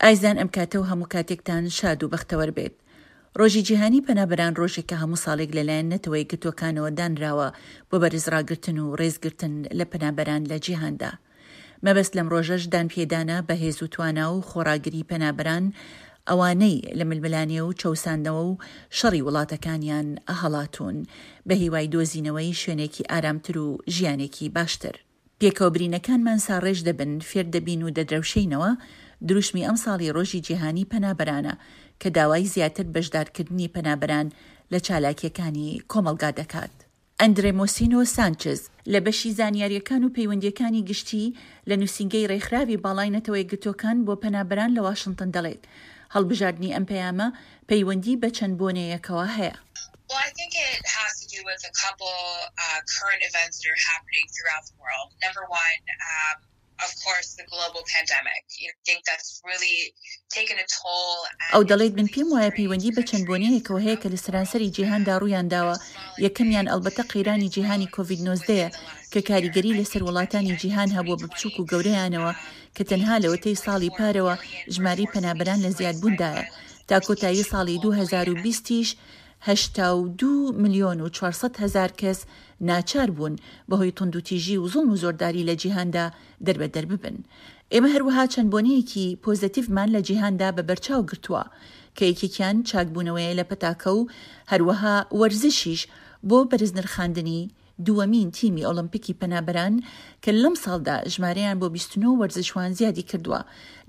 ئایزان ئەم کاتە و هەموو کاتێکتان شاد و بەختەوەر بێت. ڕۆژی جیهانی پەنابەران ڕۆژێکە هەموو ساڵێک لەلایەن نەتەوەیەکگرتووەکانەوە دانراوە بۆ بەرزڕاگرتن و ڕێزگرتن لە پەنابەران لە جیهاندا. مەبەست لەم ڕۆژەش دانپێدانە بە هێز و توانا و خۆڕاگری پەنابەران ئەوانەی لە ململانێ و چەوساندنەوە و شەڕی وڵاتەکانیان هەڵاتوون بە هیوای دۆزینەوەی شوێنێکی ئارامتر و ژیانێکی باشتر. پێکەوە برینەکانمان ساڕێژ دەبن، فێر دەبین و دەدرەوشێینەوە، دروشمی ئەمساڵی ڕۆژی جیهانی پەنابەرانە کە داوای زیاتر بەشدارکردنی پەنابەران لە چالاکییەکانی کۆمەڵگا دەکات. ئەندرێ مۆسینۆ سانچز، لە بەشی زانیارییەکان و پەیوەندییەکانی گشتی لە نووسینگەی ڕێکخراوی باڵای نەتەوەیەکگرتووەکان بۆ پەنابەران لە واشنتن دەڵێت، هەڵبژاردنی ئەم پەیامە پەیوەندی بە چەند بۆنەیەکەوە هەیە. ئەو دەڵێت من پێم وایە پەیوەندی بە چەند بۆنەیەکەوە هەیە کە لە سەرانسەری جیهاندا ڕوویانداوە، یەکەمیان ئەڵبەتە قەیرانی جیهانی کۆڤید 19 یە کە کاریگەری لەسەر وڵاتانی جیهان هەبووە بە بچووک و گەورەیانەوە کە تەنها لەوەتەی ساڵی پارەوە ژمارەی پەنابەران لە زیادبووندایە تا کۆتایی ساڵی 2020 یش 82 ملیۆن و 400 هەزار کەس ناچار بوون بەهۆی توندوتیژی و زوڵم و زۆرداری لە جیهاندا دەربەدەر ببن. ئێمە هەروەها چەند بۆنەیەکی پۆزەتیڤمان لە جیهاندا بە بەرچاو گرتووە کە یەکێکیان چاکبوونەوەیە لە پەتاکە و هەروەها وەرزشیش بۆ بەرزنرخاندنی دووەمین تیمی ئۆڵۆمپیکی پەنابەران کە لەمساڵدا ژمارەیان بۆ 29 وەرزشوان زیادی کردووە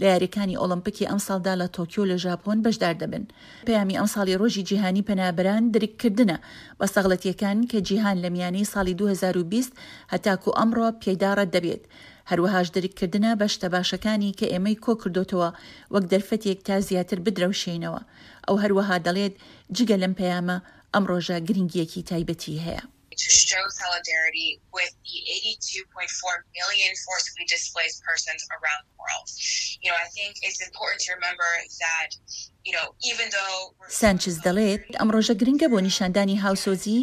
لە یاریەکانی ئۆڵۆمپیکی ئەمساڵدا لە تۆکیۆ لە ژاپۆن بەشدار دەبن. پەیامی ئەمساڵی ڕۆژی جیهانی پەنابەران درککردنە بە سەغڵەتیەکان کە جیهان لە میانەی ساڵی 2020 هەتاکو ئەمڕۆ پێیدا ڕەت دەبێت، هەروەهاش درککردنە بە شتە باشەکانی کە ئێمەی کۆکردۆتەوە وەک دەرفەتێک تا زیاتر بدرەوشێینەوە. ئەو هەروەها دەڵێت جگە لەم پەیامە ئەم ڕۆژە گرنگییەکی تایبەتی هەیە. To show solidarity with the 82.4 million forcibly displaced persons around the world. You know, I think it's important to remember that, you know, even though we're. سانچز دەڵێت، ئەم ڕۆژە گرنگە بۆ نیشاندانی هاوسۆزی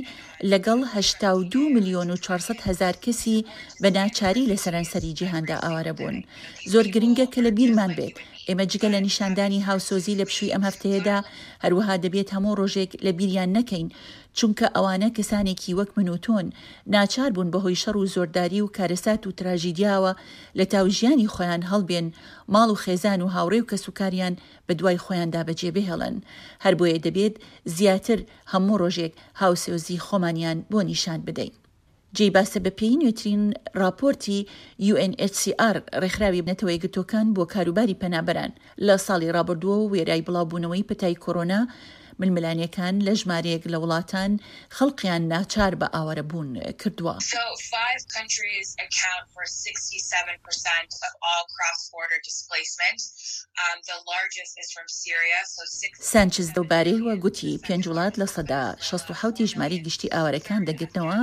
لەگەڵ 82 ملیۆن و 400 هەزار کەسی بە ناچاری لە سەرانسەری جیهاندا ئاوارە بوون. زۆر گرنگە کە لە بیرمان بێت ئێمە جگە لە نیشاندانی هاوسۆزی لە پشووی ئەم هەفتەیەدا، هەروەها دەبێت هەموو ڕۆژێک لە بیریان نەکەین، چونکە ئەوانە کەسانێکی وەک من و تۆن، ناچار بوون بەهۆی شەڕ و زۆرداری و کارەسات و تراژیدیاوە لە تاو ژیانی خۆیان هەڵبێن، ماڵ و خێزان و هاوڕێ و کەسوکاریان بەدوای خۆیاندا بەجێ بهێڵن. هەربۆیە دەبێت زیاتر هەموو ڕۆژێک هاوسۆزی خۆمانیان بۆ نیشان بدەین. جێی باسە بەپێی نوێترین ڕاپۆرتی UNHCR، ڕێکخراوی نەتەوەیەکگرتووەکان بۆ کاروباری پەنابەران، لە ساڵی ڕابردووەوە وێرای بڵاوبوونەوەی پەتای کۆرۆنا، ململانێکان لە ژمارەیەک لە وڵاتان خەڵقیان ناچار بە ئاوارەبوون کردووە. So five countries account for 67% of all cross-border displacement. The largest is from Syria, so six. سانچز لەوبارەیەوە گوتی، پێنج وڵات 67% ی ژمارەی گشتی ئاوارەکان دەگرنەوە،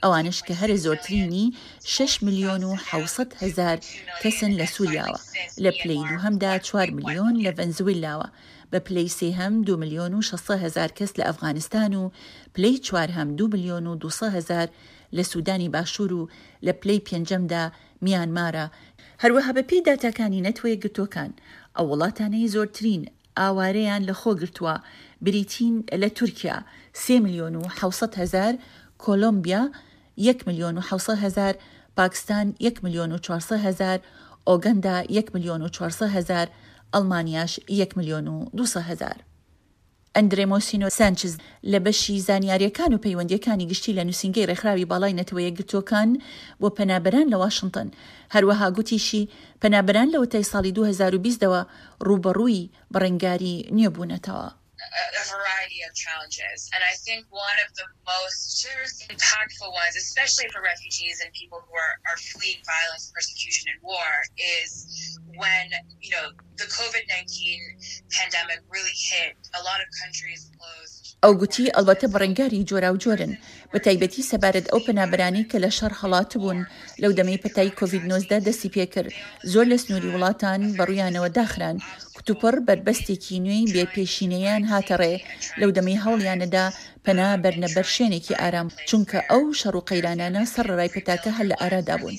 ئەوانەش کە هەرە زۆرترینی شەش ملیۆن و 700 هەزار کەسن لە سوریاوە، لە پلەی دووهەمدا چوار ملیۆن لە ڤەنزویلاوە، بە پلەی سێهەم دوو ملیۆن و 600 هەزار کەس لە ئەفغانستان و پلەی چوارهەم دوو ملیۆن و 200 هەزار لە سودانی باشوور و لە پلەی پێنجەمدا میانمارە. هەروەها بەپێی داتاکانی نەتوەیەکگرتووەکان، ئەو وڵاتانەی زۆرترین ئاوارەیان لەخۆ گرتووە بریتین لە تورکیا، سێ ملیۆن و 700 هەزار، کۆلۆمبیا، یەک ملیۆن و 700 هەزار، پاکستان، یەک ملیۆن و 400 هەزار، ئۆگەندا، یەک ملیۆن و 400 هەزار، ئەڵمانیاش، یەک ملیۆن و 200 هەزار. ئەندرێ مۆسینۆ سانچز لە بەشی زانیارییەکان و پەیوەندییەکانی گشتی لە نووسینگەی ڕێکخراوی باڵای نەتەوە یەکگرتووەکان بۆ پەنابەران لە واشنتن هەروەها گوتیشی پەنابەران لەوەتای ساڵی 2020 ەوە ڕووبەڕووی بەڕەنگاری نوێ بوونەتەوە. a variety of challenges and I think one of the most impactful ones especially for refugees and people who are are fleeing violence persecution and war is when you know the covid 19 pandemic really hit a lot of countries closed ئەو گوتی ئەڵبەتە بەڕەنگاری جۆراوجۆرن، بە تایبەتی سەبارەت ئەو پەنابەرانەی کە لە شەڕ هەڵاتبوون لەو دەمەی پەتای کۆڤید 19 دەستی پێکرد زۆر لە سنووری وڵاتان بەڕوویانەوە داخران. کتوپڕ بەربەستێکی نوێی بێ پێشینەیان هاتە ڕێ لەو دەمەی هەوڵیانەدا پەنا بەرنە بەر شوێنێکی ئارام، چونکە ئەو شەڕ و قەیرانانە سەرەڕای پەتاکە هەر لە ئارادا بوون.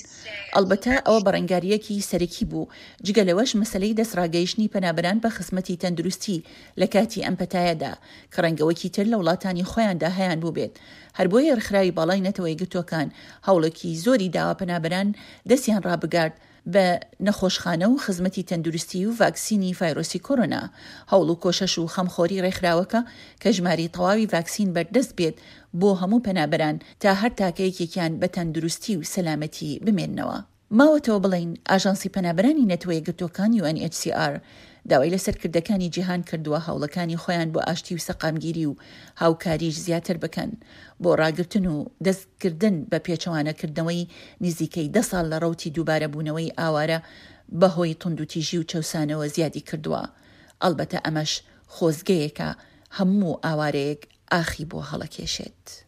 ئەڵبەتە ئەوە بەڕەنگارییەکی سەرەکی بوو، جگە لەوەش مەسەلەی دەستڕاگەیشتنی پەنابەران بە خزمەتی تەندروستی لە کاتی ئەم پەتایەدا، کە ڕەنگە وەکی تر لە وڵاتانی خۆیاندا هەیانبووبێت. هەر بۆیە ڕێکخراوی باڵای نەتەوەیەکگرتووەکان هەوڵێکی زۆری داوە پەنابەران دەستیان ڕابگات بە نەخۆشخانە و خزمەتی تەندروستی و ڤاکسینی ڤایرۆسی کۆرۆنا. هەوڵ و کۆشەش و خەمخۆری ڕێکخراوەکە کە ژمارەی تەواوی ڤاکسین بەردەست بێت بۆ هەموو پەنابەران تا هەر تاکەیەکێکیان بە تەندروستی و سەلامەتی بمێننەوە. ماوەتەوە بڵێین ئاژانسی پەنابەرانی نەتەوەیەکگرتووەکان UNHCR داوای لە سەرکردەکانی جیهان کردووە هەوڵەکانی خۆیان بۆ ئاشتی و سەقامگیری و هاوکاریش زیاتر بکەن بۆ ڕاگرتن و دەستکردن بە پێچەوانەکردنەوەی نزیکەی دە ساڵ لە ڕەوتی دووبارەبوونەوەی ئاوارە بەهۆی توندوتیژی و چەوسانەوە زیادی کردووە. ئەڵبەتە ئەمەش خۆزگەیەکە هەموو ئاوارەیەک ئاخی بۆ هەڵەکێشێت.